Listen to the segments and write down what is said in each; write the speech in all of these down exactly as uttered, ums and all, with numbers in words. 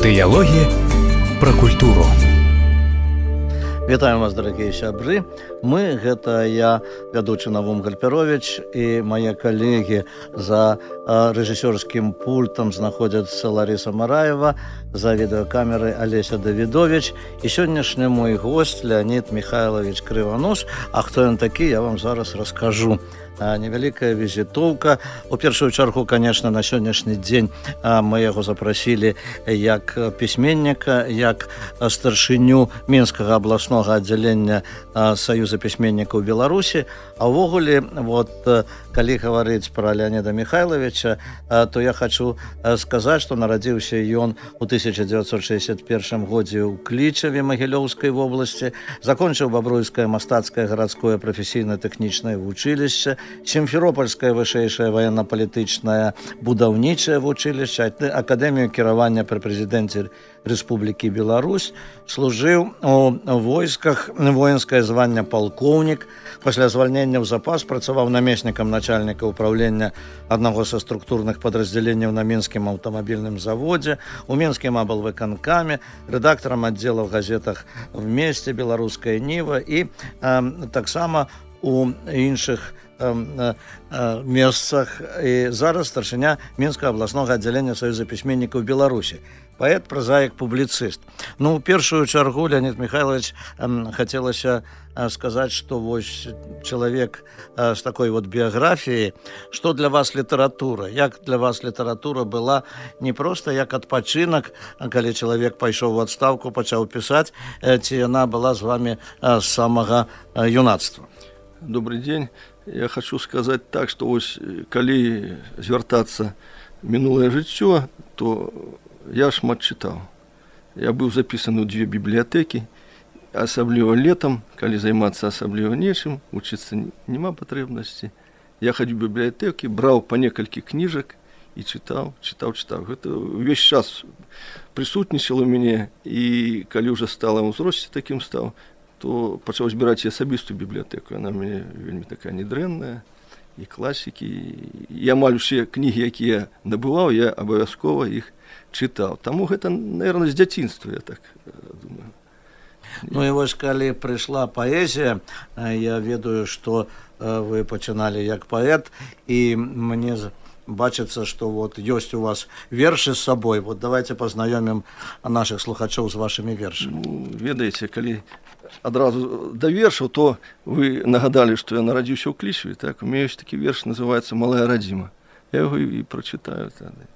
Дыялогі пра культуру. Вітаем вас, дарагія сябры. Мы, гэта я, вядучы Навум Гальперович, і мае калегі за рэжысёрскім пультам знаходзяцца Ларіса Мараева, за відэакамерай Алеся Давідович і сённяшні мой госць Леонид Михайлович Крыванос. А хто ён такі, я вам зараз раскажу. Невялікая візітоўка. У першую чаргу, конечно, на сённяшні дзень мы яго запрасілі як пісьменніка, як старшыню Мінскага абласнога аддзялення Саюза пісьменнікаў Беларусі. А ўвогуле, вот, калі гаварыць пра Леонида Михайловича, то я хочу сказаць, што нарадзіўся ён у тысяча дзевяцьсот шэсцьдзесят першым годзе ў Клічаве Магілёўскай вобласці, закончыў Бабруйскае мастацкае гарадское прафесійна-тэхнічнае вучылішча, Сімферопольскае вышэйшае ваенна-палітычнае будаўнічае вучылішча, акадэмію кіравання пры прэзідэнце Рэспублікі Беларусь, служыў у войсках, воінскае званне палкоўнік, пасля звальнення ў запас працаваў намеснікам начальніка ўправлення аднаго са структурных падраздзяленняў на Мінскім аўтамабільным заводзе, у Мінскім аблвыканкаме, рэдактарам аддзела ў газетах «В месте», «Беларуская Ніва» і э, таксама у іншых месцах. І зараз старшыня Мінскага абласнога аддзялення Саюза пісьменнікаў Беларусі. Паэт, празаік, публіцыст. Ну, у першую чаргу, Леонид Михайлович, хацелася сказаць, што вось чалавек з такой вот біяграфіяй, што для вас літаратура? Як для вас літаратура была не проста як адпачынак, калі чалавек пайшоў у адстаўку, пачаў пісаць, ці яна была з вами з самага юнацтва? Добрый день. Я хочу сказать так, что ось, калі звяртацца мінулае жыццё, то я шмат чытаў. Я быў запісаны ў дзве бібліятэкі, асабліва летам, калі займацца асабліва нечым, вучыцца няма патрэбнасці. Я хадзіў у бібліятэкі, браў па некалькі кніжак і чытаў, чытаў, чытаў. Гэта ўвесь час прысутнічала ў мяне, і калі ўжо стала ў ўзросце такім стаў, то пачаў збіраць і асабістую бібліятэку. Яна мне вельмі такая недрэнная, і класікі. І амаль усе кнігі, якія набываў, я абавязкова іх чытаў. Таму гэта, наверное, з дзяцінства, я так думаю. Ну і вось, калі прыйшла паэзія, я ведаю, што вы пачыналі як паэт, і мне бачыцца, што вот ёсць у вас вершы з сабой. Вот давайте пазнаёмім нашых слухачоў з вашымі вершамі. Ну, ведаеце, калі адразу да вершаў, то вы нагадалі, што я нарадзіўся ў Клічаве, так? У мяне ёсць такі верш, называецца «Малая радзіма». Я яго і прачытаю тады.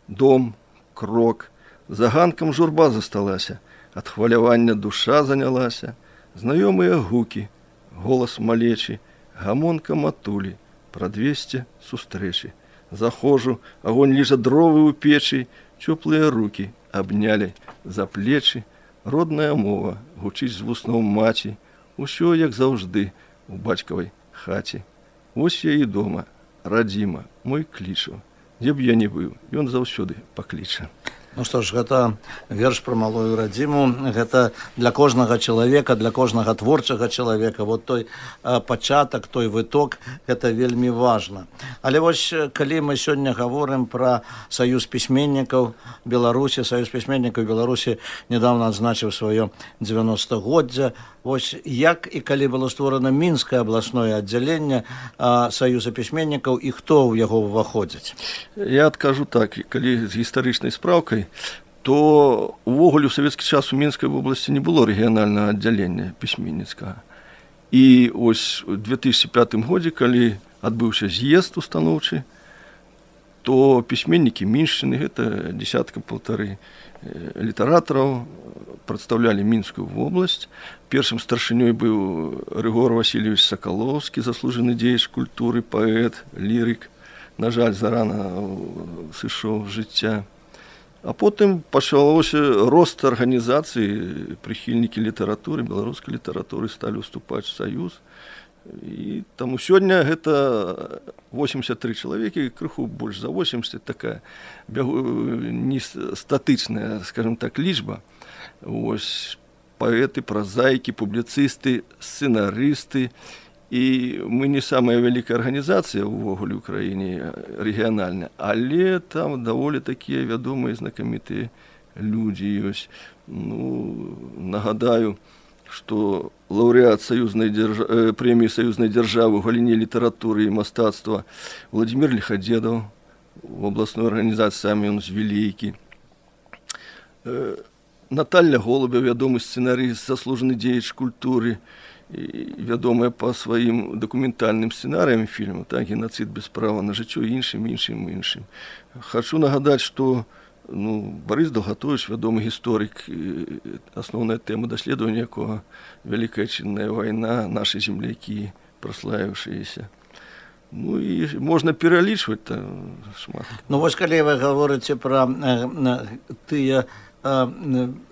Дом, крок, за ганкам журба засталася, ад хвалявання душа занялася, знаёмыя гукі, голас малечы, гамонка матулі, прадвесце сустрэчы. Захожу, агонь ліжа дровы ў печы, цёплыя рукі абнялі за плечы, родная мова гучыць з вуснаў маці, усё як заўжды у бацькавай хаце. Вось я і дома, радзіма, мой Клічаў. Дзе б я не быў, ён заўсёды пакліча. Ну што ж, гэта верш пра малую радзіму, гэта для кожнага чалавека, для кожнага творчага чалавека. Вот той а, пачатак, той выток, гэта вельмі важна. Але вось, калі мы сёння гаворым пра Саюз пісьменнікаў Беларусі, Саюз пісьменнікаў Беларусі недавно адзначыў сваё дзевяностагоддзе. Вось як і калі было створана Мінскае абласное аддзяленне а, Саюза пісьменнікаў і хто ў яго ўваходзіць? Я адкажу так, калі з гістарычнай спраўкай, то увогуле ў савецкі час у Мінскай вобласці не было рэгіянальнага аддзялення пісьменніцкага. І ось у две тысячи пятым годзе, калі адбыўся з'езд устаноўчы, то пісьменнікі Міншчыны, гэта дзесятка-паўтары літаратараў, прадстаўлялі Мінскую вобласць. Першым старшынёй быў Рыгор Васильевич Сакалоўскі, заслужаны дзеяч культуры, паэт, лірык. На жаль, зарана сышоў з жыцця. А потым пачалося рост арганізацыі, прыхільнікі літаратуры, беларускай літаратуры сталі ўступаць у Саюз. І таму сёння гэта восемьдесят три чалавекі, крыху больш за восемьдесят, такая не статычная, скажем так, лічба. Ось паэты, празаікі, публіцысты, сцэнарысты. І мы не самая вялікая арганізацыя ўвогуле ў краіне рэгіянальная, але там даволі такія вядомыя знакамітыя людзі ёсць. Ну, нагадаю, што лаўрэат саюзнай дзярж... прэміі саюзнай дзяржавы ў галіне літаратуры і мастацтва Владзімір Ліхадзедаў, у абласной арганізацыі самі ён з вялікі. Наталля Голубя, вядомы сцэнарыст, заслужаны дзеяч культуры, вядомая па сваім дакументальным сцэнарыям фільму, так, геноцид без права на жыццё, іншым, іншым, іншым. Хачу нагадаць, што ну, Барыс Далгатович, вядомы гісторык, асноўная тэма даследавання якога Вялікая Адчынная вайна, нашы землякі, праславіўшыеся. Ну і можна пералічваць шмат. Ну вось калі вы гаворыце пра э, тыя э,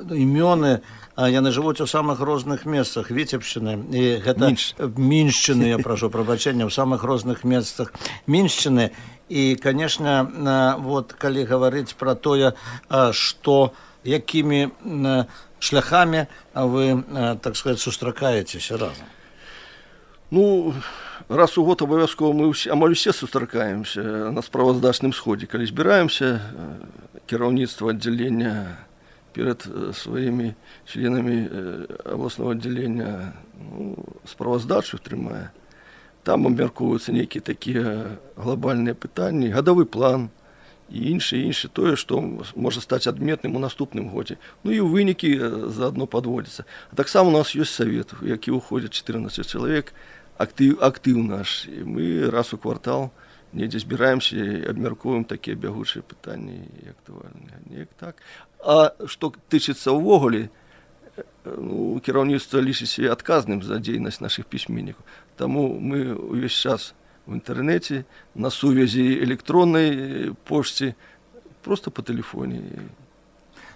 імёны, яны жывуць у самых розных месцах Віцебшчыны і гэта Міншчыны, я прашу прабачэння, у самых розных месцах Міншчыны. І, конечно, вот, калі гаварыць пра тое, што якімі шляхамі вы, так сказать, сустракаецеся разам. Ну, раз у год абавязкова мы ўсе, амаль усе сустракаемся на справаздачным сходзе. Калі збіраемся, кіраўніцтва аддзялення перад сваімі членамі абласнога аддзялення ну, справаздачу трымае. Там абмяркоўваюцца нейкія такія глобальныя пытанні, гадавы план і іншае, іншае тое, што можа стаць адметным у наступным годзе. Ну і ў вынікі заадно падводзіцца. А таксама у нас ёсць савет, у які ўходзяць чатырнаццаць чалавек, актыў, актыў наш. І мы раз у квартал недзе збіраемся і абмяркоўваем такія бягучыя пытанні і актуальныя. Неяк так. А што тычыцца ўвогуле, ну, кіраўніцтва лічыць сябе адказным за дзейнасць нашых пісьменнікаў. Таму мы ўвесь час в інтэрнэце, на сувязі электроннай пошце, проста па тэлефоне.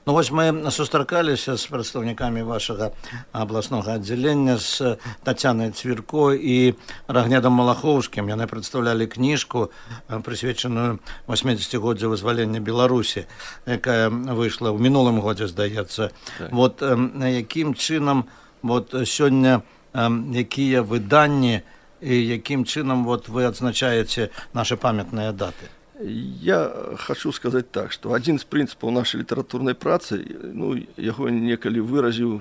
Ну вось мы сустракаліся з прадстаўнікамі вашага абласнога аддзялення, з Тацянай Цвірко і Рагнедам Малахоўскім. Яны прадстаўлялі кніжку, прысвечаную восьмідзесяцігоддзю вызвалення Беларусі, якая выйшла ў мінулым годзе, здаецца. Так. Вот якім чынам вот сёння якія выданні і якім чынам вот вы адзначаеце нашы памятныя даты? Я хочу сказаць так, што адзін з прынцыпаў нашай літаратурнай працы, ну, яго некалі выразіў,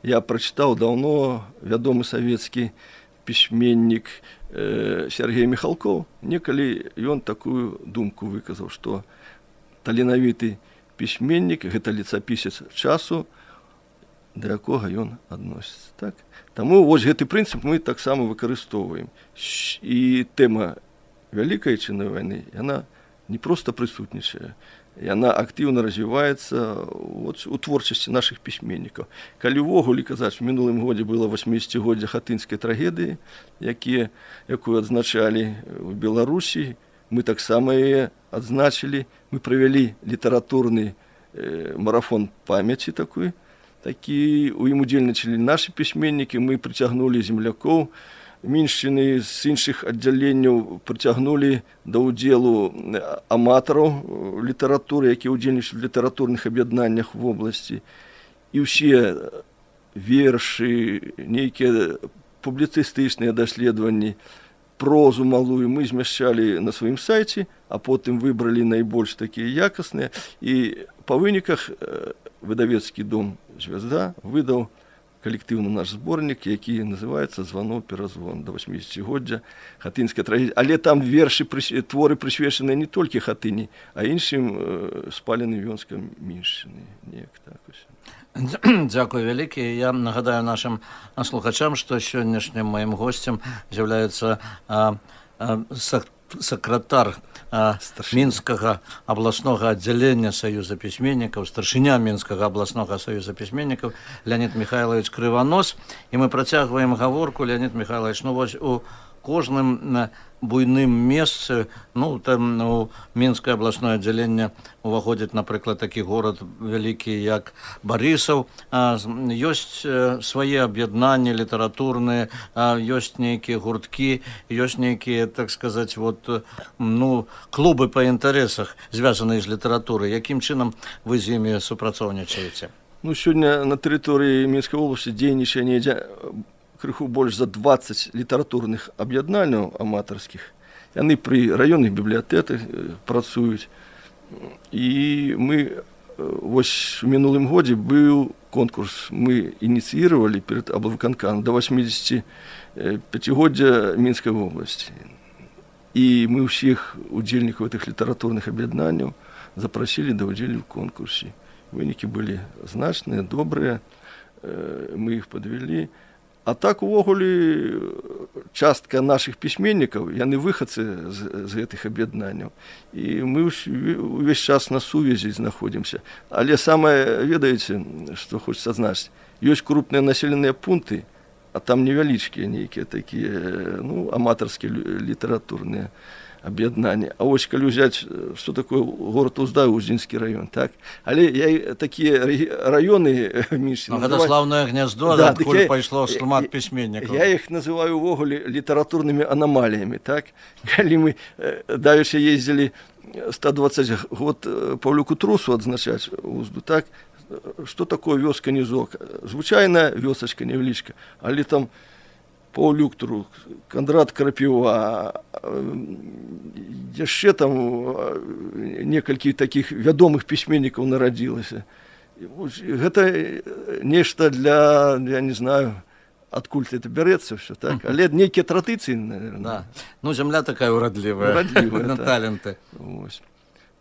я прачытаў даўно вядомы савецкі пісьменнік э, Сергей Михалков. Некалі ён такую думку выказаў, што таленавіты пісьменнік гэта летапісец часу, да якога ён адносіцца. Так? Таму вось гэты прынцып мы таксама выкарыстоўваем. І тэма Вялікай Адчыннай вайны, яна не проста прысутнічае, яна актыўна развіваецца вот, у творчасці нашых пісьменнікаў. Калі ўвогуле казаць, в мінулым годзе было восьмідзесяцігоддзе хатынскай трагедыі, якія, якую адзначалі ў Беларусі, мы таксама яе адзначылі, мы правялі літаратурны э, марафон памяці такой, такі у ім удзельнічалі нашы пісьменнікі, мы прыцягнулі землякоў Міншчыны, з іншых аддзяленняў прыцягнулі да ўдзелу аматараў літаратуры, якія ўдзельнічалі ў літаратурных аб'яднаннях в обласці. І ўсе вершы, нейкія публіцыстычныя даследаванні, прозу малую мы змяшчалі на сваім сайце, а потым выбралі найбольш такія якасныя. І па выніках выдавецкі дом «Звязда» выдаў калектыўны наш зборнік, які называецца «Званоў-перазвон» да восьмідзесяцігоддзя хатынскай трагедыі. Але там вершы, творы прысвечаныя не толькі хатыні, а іншым спаленым вёнскам Міншчыны. Неяк так ось. Дзякуй вялікі. Я нагадаю нашым слухачам, што сённяшнім маім госцем з'яўляецца сакратар Мінскага абласнога аддзялення Саюза пісьменнікаў, старшыня Мінскага абласнога Саюза пісьменнікаў Леонид Михайлович Крыванос. І мы працягваем гаворку. Леонид Михайлович, ну вось у кожным буйным месцы, ну там у Мінскае абласное аддзяленне уваходзіць, напрыклад, такі горад вялікі, як Барысаў. Ёсць свае аб'яднанні літаратурныя, ёсць нейкія гурткі, ёсць нейкія, так сказаць, вот, ну, клубы па інтарэсах, звязаныя з літаратурай. Якім чынам вы з імі супрацоўнічаеце? Ну, сёння на тэрыторыі Мінскай вобласці дзейнічае недзе крыху больш за дваццаць літаратурных аб'яднанняў аматарскіх. Яны пры раённых бібліятэках працуюць. І мы вось у мінулым годзе быў конкурс, мы ініцыіравалі перад аблвыканкамам да восьмідзесятіпяцігоддзя Мінскай вобласці. І мы ўсіх удзельнікаў гэтых літаратурных аб'яднанняў запрасілі да ўдзелу ў конкурсе. Вынікі былі значныя, добрыя, мы іх падвялі. А так, увогуле, частка нашых пісьменнікаў, яны выхадцы з, з гэтых аб'яднанняў. І мы ўвесь час на сувязі знаходзімся. Але самае, ведаеце, што хочацца адзначыць, ёсць крупныя населеныя пункты, а там невялічкія нейкія такія, ну, аматарскія літаратурныя аб'яднання. А вось калі ўзяць, што такое горад Уздаю, Уздзінскі раён, так? Але я такія раёны менш называю... Гэта слаўнае гняздо, да, адкуль я, пайшло шмат пісьменнікаў. Я іх называю увогуле літаратурнымі анамаліямі, так? Калі мы давеча ездзілі сто дваццаць год Паўлюку Трусу адзначаць Узду, так? Што такое вёска Нізок? Звычайная вёсачка невялічка, але там Паўлюк Трус, Кандрат Крапіва, яшчэ там некалькі такіх вядомых пісьменнікаў нарадзілася. Гэта нешта для, я не знаю, адкуль это бярэцца ўсё, так? Але нейкія традыцыі, наверное. Да. Ну, зямля такая урадлівая, на таленты. Вось.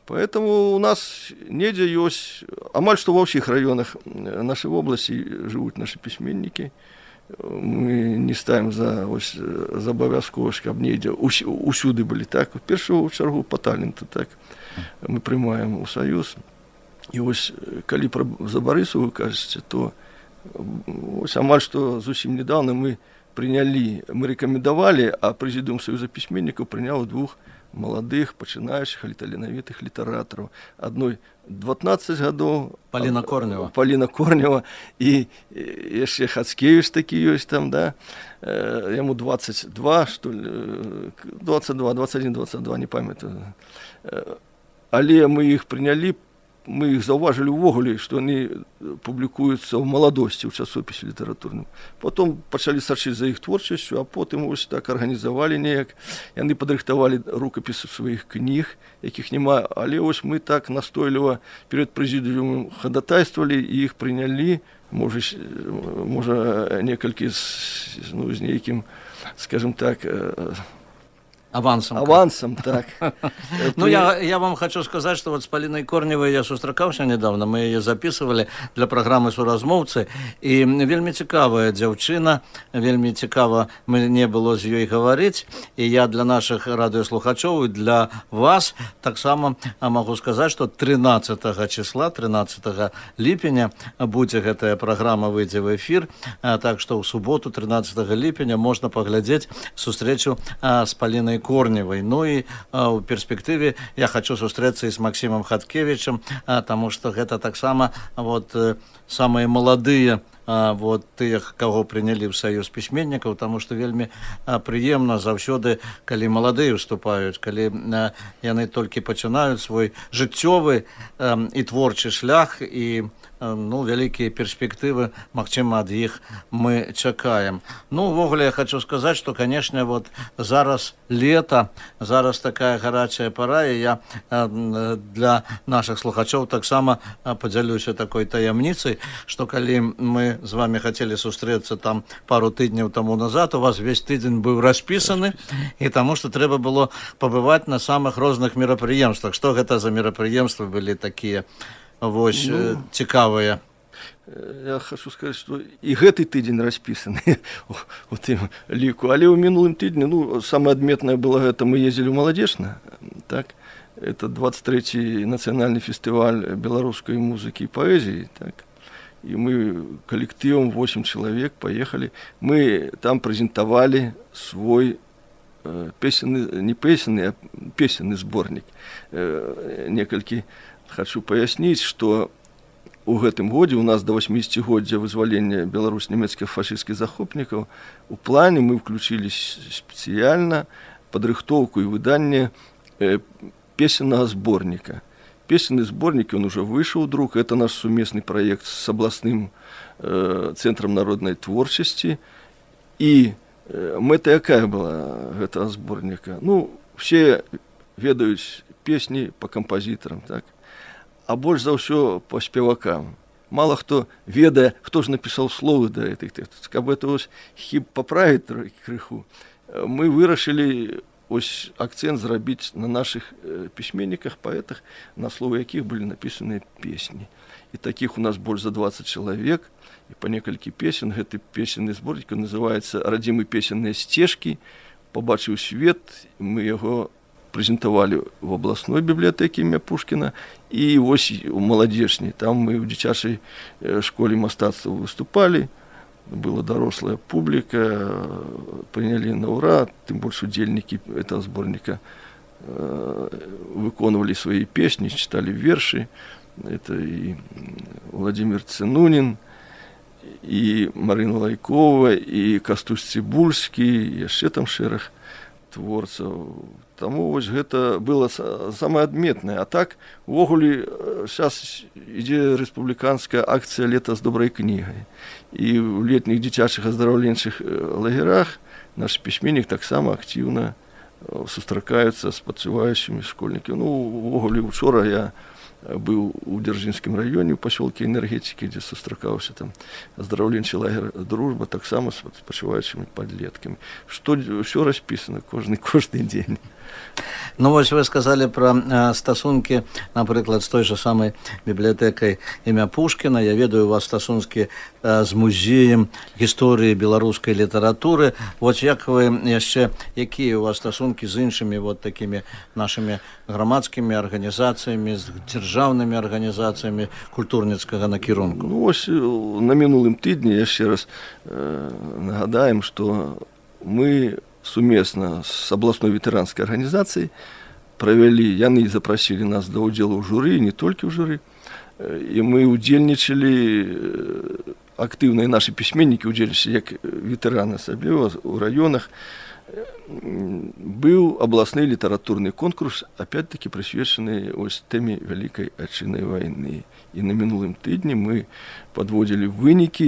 Поэтому у нас недзе ёсць, амаль што ва ўсіх раёнах нашай вобласці жывуць нашы пісьменнікі. Мы не ставім за, ось, за абавязковасць, каб недзе усюды былі, так? У першую чаргу па таленту, так? Мы прымаем у саюз. І ось, калі пра за Барысу вы кажаце, то ось амаль што зусім недавно мы прынялі, мы рэкамендавалі, а прэзідыум Саюза пісьменнікаў прыняў двух маладых, пачынаючых, таленавітых літаратараў. Адной дванаццаць гадоў. Паліна Корнева. Паліна Корнева. І яшчэ Хацкевіч такі ёсць там, да? Яму дваццаць два, што ли, дваццаць два, дваццаць адзін, дваццаць два, не памятаю. Але мы іх прынялі, мы іх заўважылі ўвогуле, што яны публікуюцца ў маладосці, ў часопісе літаратурным. Потом пачалі сачыць за іх творчасцю, а потым ось так арганізавалі неяк. Яны падрыхтавалі рукапісы сваіх кніг, якіх няма, але ось мы так настойліва перад прэзідыумам хадатайствавалі і іх прынялі, можа, можа некалькі з, ну, з нейкім, скажем так, Авансом. Авансом, так. Ну, я, я вам хочу сказать, что вот с Полиной Корневой я сустракаўся недавно, мы ее записывали для программы «Суразмоўцы», и вельмі цікавая дзяўчына, вельмі цікава мне было з ёй гаварыць, и я для наших радыёслухачоў и для вас таксама могу сказать, что тринадцатого числа, тринадцатого ліпеня будзе гэтая программа, выйдзе в эфир, так что в субботу, тринадцатого ліпеня, можно поглядзець сустрэчу с Полиной Корневой. Ну и а, в перспективе я хочу сустрэцца и с Максимом Хаткевичем, а, потому что это так само вот э, самые молодые а, вот тых, кого приняли в Союз письменников, потому что вельмі а, приемно заўсёды, калі молодые уступают, калі а, яны только пачинают свой жыццёвы а, и творчий шлях, и ну, вялікія перспектывы, магчыма, ад іх мы чакаем. Ну, увогуле, я хочу сказать, что, конечно, вот зараз лето, зараз такая гарячая пора, и я для наших слухачоў таксама подзялюся такой таямніцай, что калі мы з вами хотели сустрэцца там пару тыдняў тому назад, у вас весь тыдзень быў распісаны, и тому, что трэба было пабываць на самых розных мерапрыемствах. Что гэта за мерапрыемствы былі такія? Вось, ну, цікавыя. Я хочу сказать, что и гэты тыдзень распісаны у тым ліку. Але ў мінулым тыдні, ну, самое адметнае было гэта, мы ездзілі ў Маладзечна, так? Это двадцать третий нацыянальны фестываль беларускай музыкі і паэзіі, так? И мы коллективом восемь человек поехали. Мы там презентовали свой э, песенный, не песенный, а песенный сборник. Э, некалькі хочу пояснить, что у гэтым годзе у нас до восьмидесятигоддзя вызвалення Беларусь нямецкіх фашистскіх захопнікаў у плане мы включили спецыяльна падрыхтоўку и выданне э, песенного сборника. Песенный сборник, он уже вышел, друг. Это наш совместный проект с областным э, центром народной творчести. И э, мэта якая была этого сборника? Ну, все ведают песни по композиторам, так? а больш за ўсё па спевакам. Мало хто ведае, хто ж напісаў словы да гэтых тэкстаў. Каб это вось хіб паправіць крыху, мы вырашылі ось акцент зрабіць на наших пісьменніках, паэтах, на словы якіх былі напісаныя песні. І такіх у нас больш за двадцать чалавек, і па некалькі песен. Гэты песенны зборнік называецца «Радзімы песенныя сцежкі». Пабачыў свет, мы яго прэзентавалі в областной бібліятэкі імя Пушкіна, і вось у маладзечнай. Там мы ў дзіцячай школе мастацтва выступалі, была дарослая публіка, прынялі на ура, тым больш удзельнікі этого зборніка выконвалі свае песні, чыталі вершы. Это і Владимир Цынунін, і Марына Лайкова, і Кастусь Цыбульскі, і яшчэ там шэраг творцаў. Таму вось гэта было самае адметнае. А так, увогуле, зараз ідзе рэспубліканская акцыя «Лета з добрай кнігай». І ў летніх дзіцячых аздараўленчых лагерах наш пісьменнік таксама актыўна сустракаецца з спачуваючымі школьнікамі. Ну, увогуле, учора я быў у Дзяржынскім раёне, у пасёлке Энергетыкі, дзе сустракаўся там аздараўленчы лагер «Дружба», таксама з спачуваючымі падлеткамі. Што ўсё распісана кожны кожны дзень. Ну вось вы сказалі пра э, стасункі, напрыклад, з той жа самай бібліятэкай імя Пушкіна. Я ведаю, у вас стасункі э, з музеем гісторыі беларускай літаратуры. Вот як вы яшчэ, якія у вас стасункі з іншымі вот такімі нашымі грамадскімі арганізацыямі, з дзяржаўнымі арганізацыямі культурніцкага накірунку? Ну вось на мінулым тыдні яшчэ раз э, нагадаем, што мы сумесна з абласной ветэранскай арганізацыяй правялі, яны запрасілі нас да ўдзелу ў журы, не толькі ў журы, і мы удзельнічалі актыўна, і нашы пісьменнікі удзельнічалі як ветэраны, асабліва ў раёнах. Быў абласны літаратурны конкурс, опять-таки прысвечаны ось тэме Вялікай Адчыннай вайны. І на мінулым тыдні мы падводзілі вынікі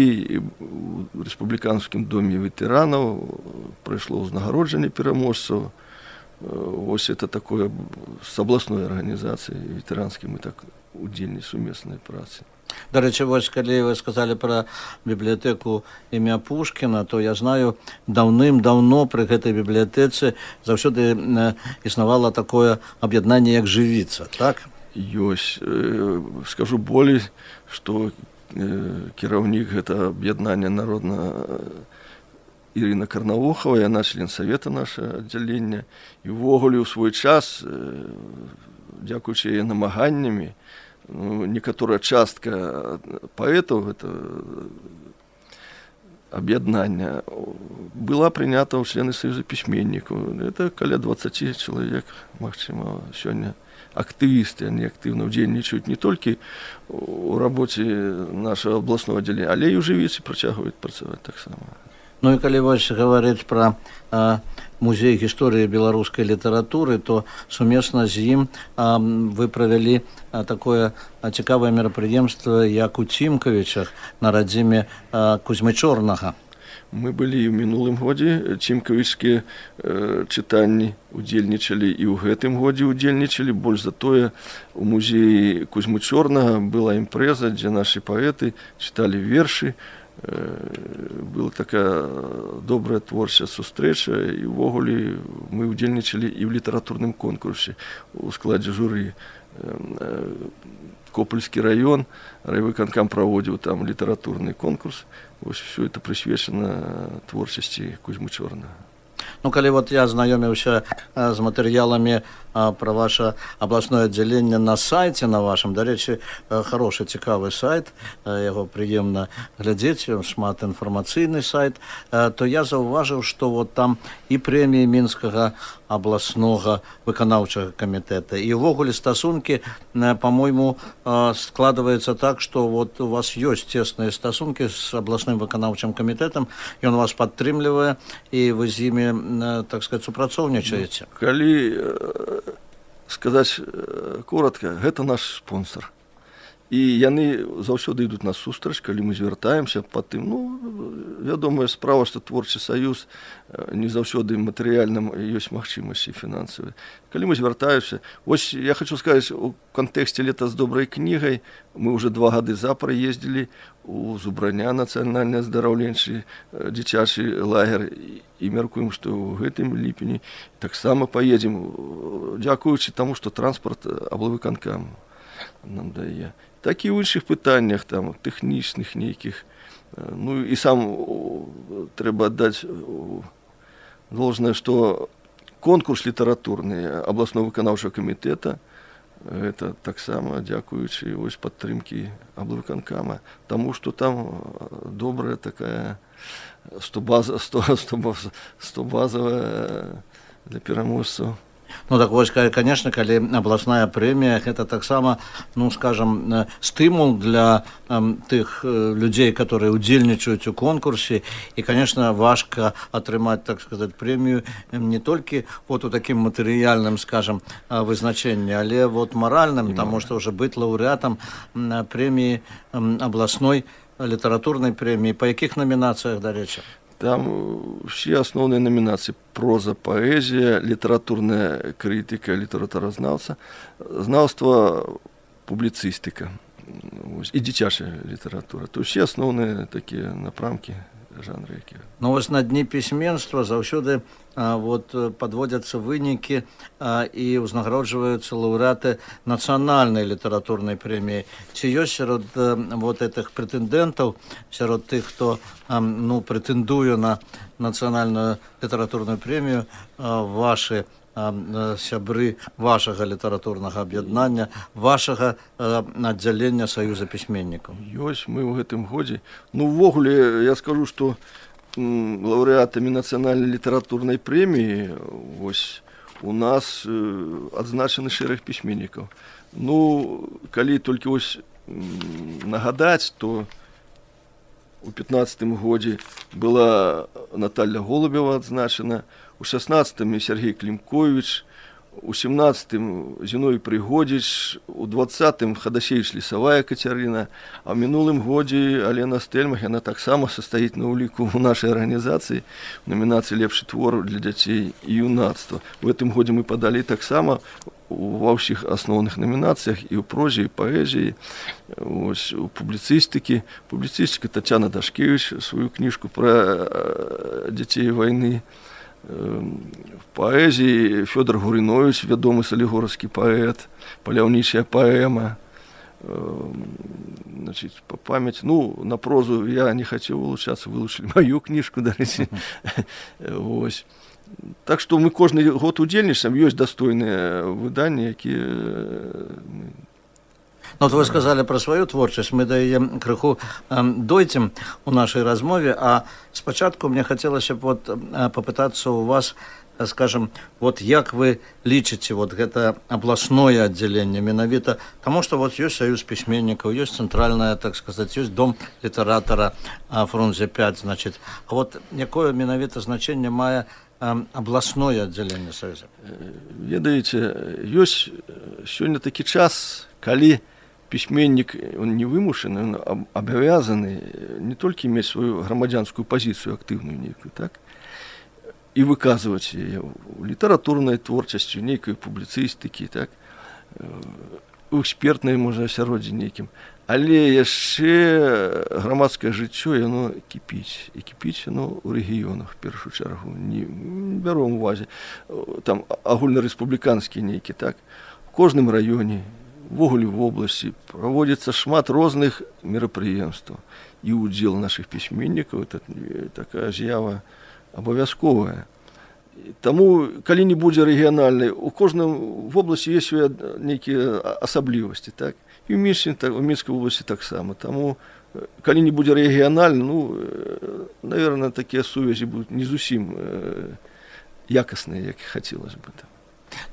у рэспубліканскім доме ветэранаў, прайшло ўзнагароджанне пераможцаў. Ось это такое з абласной арганізацыяй ветэранскай мы так удзельнічалі сумеснай працы. Дарэчы, вось калі вы сказалі пра бібліятэку імя Пушкіна, то я знаю, даўным-даўно пры гэтай бібліятэцы заўсёды існавала такое аб'яднанне, як «Жывіца», так? Ёсць. Скажу болей, што кіраўнік гэта аб'яднання народна Ірына Карнавохава, яна член савета наша аддзялення, і ўвогуле ў свой час, дзякуючы яе намаганнямі, ну, некаторая частка паэтаў гэта аб'яднання была прынята ў члены Саюза пісьменнікаў. Это каля двадцать чалавек, магчыма, сёння актывісты, они актыўна ўдзельнічаюць не толькі у рабоце нашага абласнога аддзялення, але і ў Жывіцы працягваюць працаваць таксама. Ну і калі вось гаварыць пра а, музей гісторыі беларускай літаратуры, то сумесна з ім а, вы правялі а, такое а, цікавае мерапрыемства, як у Цімкавічах на радзіме а, Кузьмы Чорнага. Мы былі ў мінулым годзе, цімкавічскія э, чытанні удзельнічалі і ў гэтым годзе удзельнічалі. Больш за тое, у музеі Кузьмы Чорнага была імпрэза, дзе нашы паэты чыталі вершы. Э, была такая добрая творчая сустрэча, і ўвогуле мы удзельнічалі і ў літаратурным конкурсе у складзе журы. Э, Копольскі раён, райвыканкам праводзіў там літаратурны конкурс. Вось все это прысвечана творчасці Кузьмы Чорнага. Ну, калі вот я знаёміўся а, з матэрыяламі а, пра ваше абласное аддзяленне на сайце на вашым, дарэчы, хорошы, цікавы сайт, а, яго прыемна глядзець, шмат інфармацыйны сайт, а, то я заўважыў, што вот там і прэміі Мінскага абласнога выканаўчага камітэта, і ўвогуле стасункі, па-мойму, складваецца так, што вот у вас ёсць цесныя стасункі з абласным выканаўчым камітэтам, ён вас падтрымлівае, і вы з імі, так сказать, супрацоўнічаеце. Калі сказаць коротко, гэта наш спонсор. І яны заўсёды ідуць на сустрач, калі мы звяртаемся па тым, ну, вядомая справа, што творчы саюз не заўсёды матэрыяльным ёсць магчымасці фінансавыя. Калі мы звяртаемся, вось я хочу сказаць, у кантэксце лета з добрай кнігай мы ўжо два гады запар ездзілі у Зубраня, нацыянальны аздараўленчы дзіцячы лагер, і мяркуем, што ў гэтым ліпені таксама паедзем, дзякуючы таму, што транспарт аблвыканкам нам дае. Так і ў іншых пытаннях, там, тэхнічных нейкіх. Ну і сам трэба аддаць должное, што конкурс літаратурны абласного выканаўчага камітэта, это таксама дзякуючы вось падтрымкі аблвыканкама, таму што там добрая такая стобазовая для пераможцаў. Ну так вось, конечно, калі абласная прэмія, гэта таксама, ну, скажем, стымул для э, тых людзей, которые удзельнічаюць у конкурсе, і, конечно, важка атрымаць, так сказать, прэмію не толькі вот у такім матэрыяльным, скажем, вызначэнні, але вот маральным, таму што ўжо быць лаўрэатам прэміі абласной літаратурнай прэміі. Па якіх намінацыях, дарэчы? Там все основные номинации: проза, поэзия, литературная критика, литературознавца, знавство, публицистика и дзіцячая литература. То есть все основные такие напрамки, жанры. Ну, вось на дні пісьменства заўсёды а, вот, подводятся вынікі а, і ўзнагароджваюцца лаўрэаты нацыянальнай літаратурнай прэміі. Ці ёсць сярод а, вот этих прэтэндэнтаў, сярод тых, хто а, ну, прэтэндуе на нацыянальную літаратурную прэмію, а, вашы а, сябры вашага літаратурнага аб'яднання, вашага а, аддзялення Саюза пісьменнікаў? Ёсць, мы ў гэтым годзе. Ну, увогуле, я скажу, што лаўрэатамі нацыянальнай літаратурнай прэміі вось у нас э, адзначаны шэраг пісьменнікаў. Ну, калі толькі вось нагадаць, то у пятнаццатым годзе была Наталья Голубева адзначана, у шаснаццатым Сергей Клімковіч, у семнадцатым Зіновій Прыгодзіч, у двадцатым Хадасевіч Лісавая Кацярына, а ў мінулым годзе Алена Стэльмах, яна таксама састаіць на ўліку ў нашай арганізацыі в номінацыі «Лепшы твор для дзяцей і юнацтва». У гэтым годзе мы падалі таксама ва ўсіх асноўных номінацыях і ў прозе, і паэзіі, ось, у публіцыстыкі. Публіцыстыка Тацяна Дашкевіч сваю кніжку пра дзяцей вайны. В поэзии Фёдор Гурынович, вядомы салігорскі паэт, паляўнічая паэма. Значит, по памяти, ну, на прозу я не хотел улучшаться, вылучили мою книжку, дарэчы. Ось. Так что мы кожны год удзельнічаем, ёсць достойныя выданні, якія... Ну, вот вы сказали про свою творчасць, мы да яе крыху э, дойдзем у нашай размове, а спачатку мне хацелася б вот, э, попытаться у вас, э, скажем, вот як вы лічыце вот гэта абласное аддзяленне менавіта, таму што вот ёсць Саюз пісьменнікаў, ёсць цэнтральная, так сказаць, ёсць дом літаратара э, Фрунзе пяць, значит, а вот якое менавіта значэнне мае э, абласное аддзяленне Саюза? Ведаеце, ёсць сёння такі час, калі пісьменнік, он не вымушаны, он абавязаны не толькі мець сваю грамадзянскую пазіцыю актыўную нейкую, так, і выказваць яе у літаратурнай творчасці, нейкай публіцыстыкі, так, у экспертнай, можа, асяроддзі нейкім. Але яшчэ грамадскае жыццё, яно кіпіць. І кіпіць яно ў рэгіёнах, в першую чаргу. Не бяром увазе. Там агульнарэспубліканскі нейкі, так, у кожным раёне, увогуле в обласці праводзіцца шмат розных мерапрыемстваў. І ўдзел нашых пісьменнікаў, это такая з'ява абавязковая. Таму, калі не будзе рэгіянальнай, у кожным в обласці ёсць свае нейкія асаблівасці, так? І ў Мінску, так, у Мінскай обласці таксама. Таму, калі не будзе рэгіянальна, ну, наверное, такія сувязі будуць не зусім э, якасныя, як хацелось бы.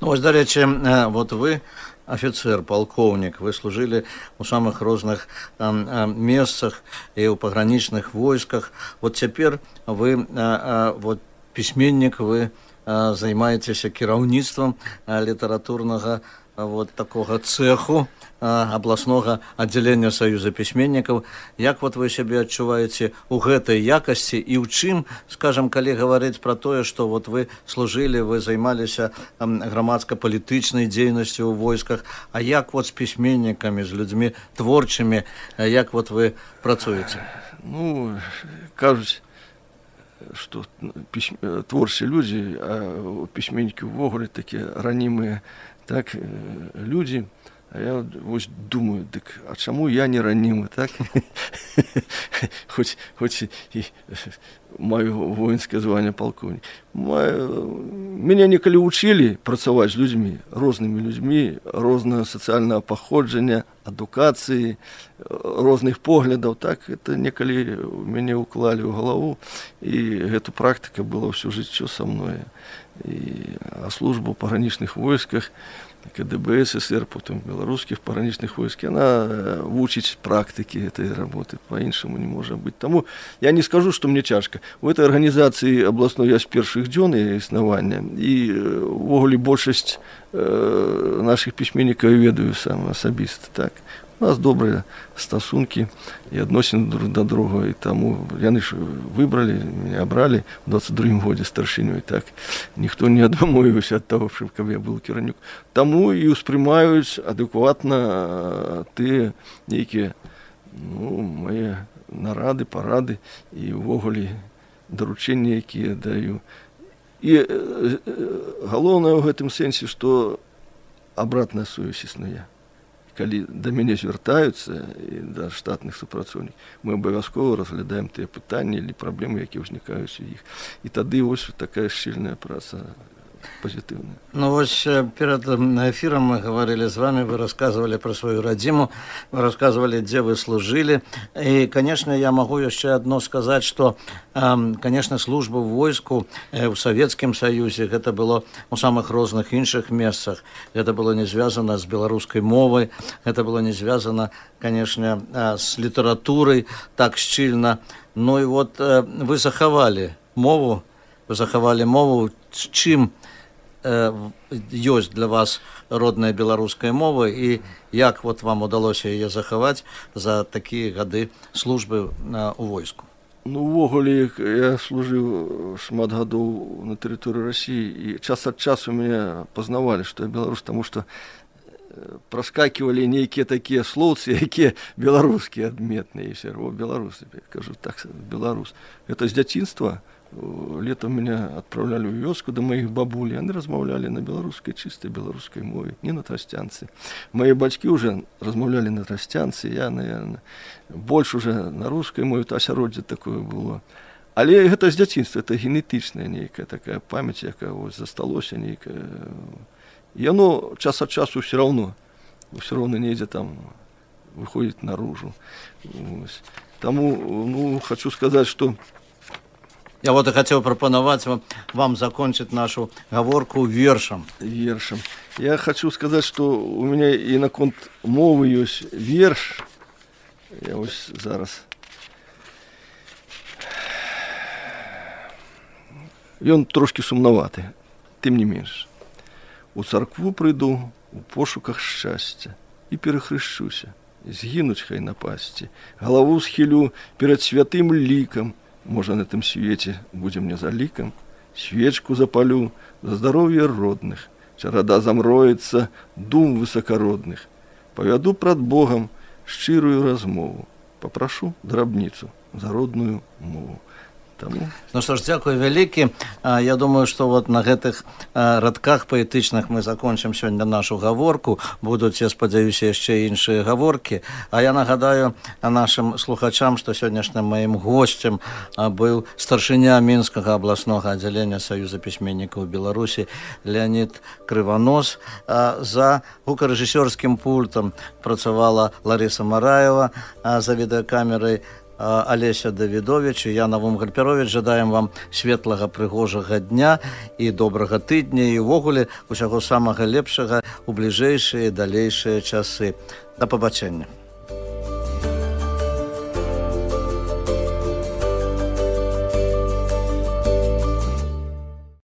Ну, вось, дарэчы, вот вы офицер, полковник, вы служили у самых розных э, э, месцах и у пограничных войсках. Вот теперь вы, э, э, вот письменник, вы э, занимаетесь кіраўніцтвам э, литературного э, вот такого цеху абласнога аддзялення Саюза пісьменнікаў. Як вот вы сябе адчуваеце ў гэтай якасці і ў чым, скажам, калі гаварыць пра тое, што вот вы служылі, вы займаліся грамадска-палітычнай дзейнасцю ў войсках, а як вот з пісьменнікамі, з людзьмі творчымі, як вот вы працуеце? Ну, кажуць, што пісьм... творчыя людзі, а пісьменнікі ўвогуле такія ранімыя, так, людзі. А я вось думаю, дык, а чаму я не ранімы, так? Хоць, хоць і маю воінскае званне палкоўнік. Мяне некалі вучылі працаваць з людзьмі, рознымі людзьмі, рознага сацыяльнага паходжання, адукацыі, розных поглядаў, так? Это некалі мяне ўклалі ў галаву, і гэта практыка была ўсё жыццё са мной. І, а служба ў пагранічных войсках, КДБ СССР, потом белорусских пограничных войск, она вучить практики этой работы, по-іншаму не может быть. Тому я не скажу, что мне тяжко. У этой организации областной я с первых дзён існавання, и увогуле большасць э, наших письменников ведаю сам асабіста, так. У нас добрые стасунки и адносіны друг до друга, и тому яны ж выбрали, меня обрали в двадцать другім годзе старшынёй, так. Никто не адмовіўся от того, чтобы я был кіраўнік. Тому и успрымаюць адэкватна тыя нейкія, ну, мои нарады, парады и увогуле даручэнні, якія даю. И э, галоўнае ў гэтым сэнсе, што абратная сувязь існуе. Калі да мяне звяртаюцца і да штатных супрацоўнікаў, мы абавязкова разглядаем тыя пытанні или праблемы, якія ўзнікаюць у іх. І тады вось такая шчыльная праца позитивная. Ну вот перед эфиром мы говорили с вами, вы рассказывали про свою родиму, вы рассказывали, где вы служили. И, конечно, я могу еще одно сказать, что, конечно, служба в войску в Советском Союзе, это было у самых разных іншых местах. Это было не связано с белорусской мовой, это было не связано, конечно, с литературой так щільно. Ну и вот вы заховали мову, вы заховали мову, с чим ёсць для вас родная беларуская мова і як вот вам удалося яе захаваць за такія гады службы у войску? Ну, увогуле, я служыў шмат гадоў на тэрыторыі России, і час ад часу мяне пазнавалі, што я беларус, таму што праскакивали нейкія такія слоўцы, якія беларускія адметныя, і все равно беларусы, я кажу, так, беларус. Это з дзяцінства. Летом меня отправляли в вёску до моих бабуль, они размаўлялі на беларускай, чистой беларускай мове, не на тростянцы. Мои бацькі уже размаўлялі на тростянцы, я, наверное, больше уже на русской мове, то асяроддзе такое было. Але гэта з дзяцінства, это генетычная нейкая такая памяць, якая вось засталося нейкая. И оно час от часу все равно, все равно недзе там выходит наружу. Тому, ну, хочу сказать, что я вот и хотел пропоновать вам, вам закончить нашу гаворку вершем. Вершем. Я хочу сказать, что у меня и на конт мовы есть верш. Я вот зараз. И он трошки сумноватый, тем не меньше. У царкву прыйду у пошуках шчасця і перахрышчуся, згінуць хай напасці, галаву схілю перад святым лікам. Можа, на этом свете будем мне за ликом, свечку запалю за здоровье родных, чарада замроется дум высокородных. Поведу пред Богом шчырую размову, попрошу драбницу за родную мову. Тому... Ну что ж, дзякуй вялікі. Я думаю, что вот на гэтых радках паэтычных мы закончим сёння нашу гаворку. Будуць, я спадзяюся, яшчэ іншыя гаворкі. А я нагадаю нашим слухачам, что сённяшнім маім гостем быў старшыня Мінскага абласнога аддзялення Саюза пісьменнікаў Беларусі Леонид Крыванос. За гукарэжысёрскім пультам працавала Лариса Мараева, за відэакамерай Олеся Давидович и я, Навум Гальперович, жадаем вам светлага прыгожага дня и добрага тыдня и увогуле усяго самага лепшага у бліжэйшыя далейшыя часы. Да пабачэння.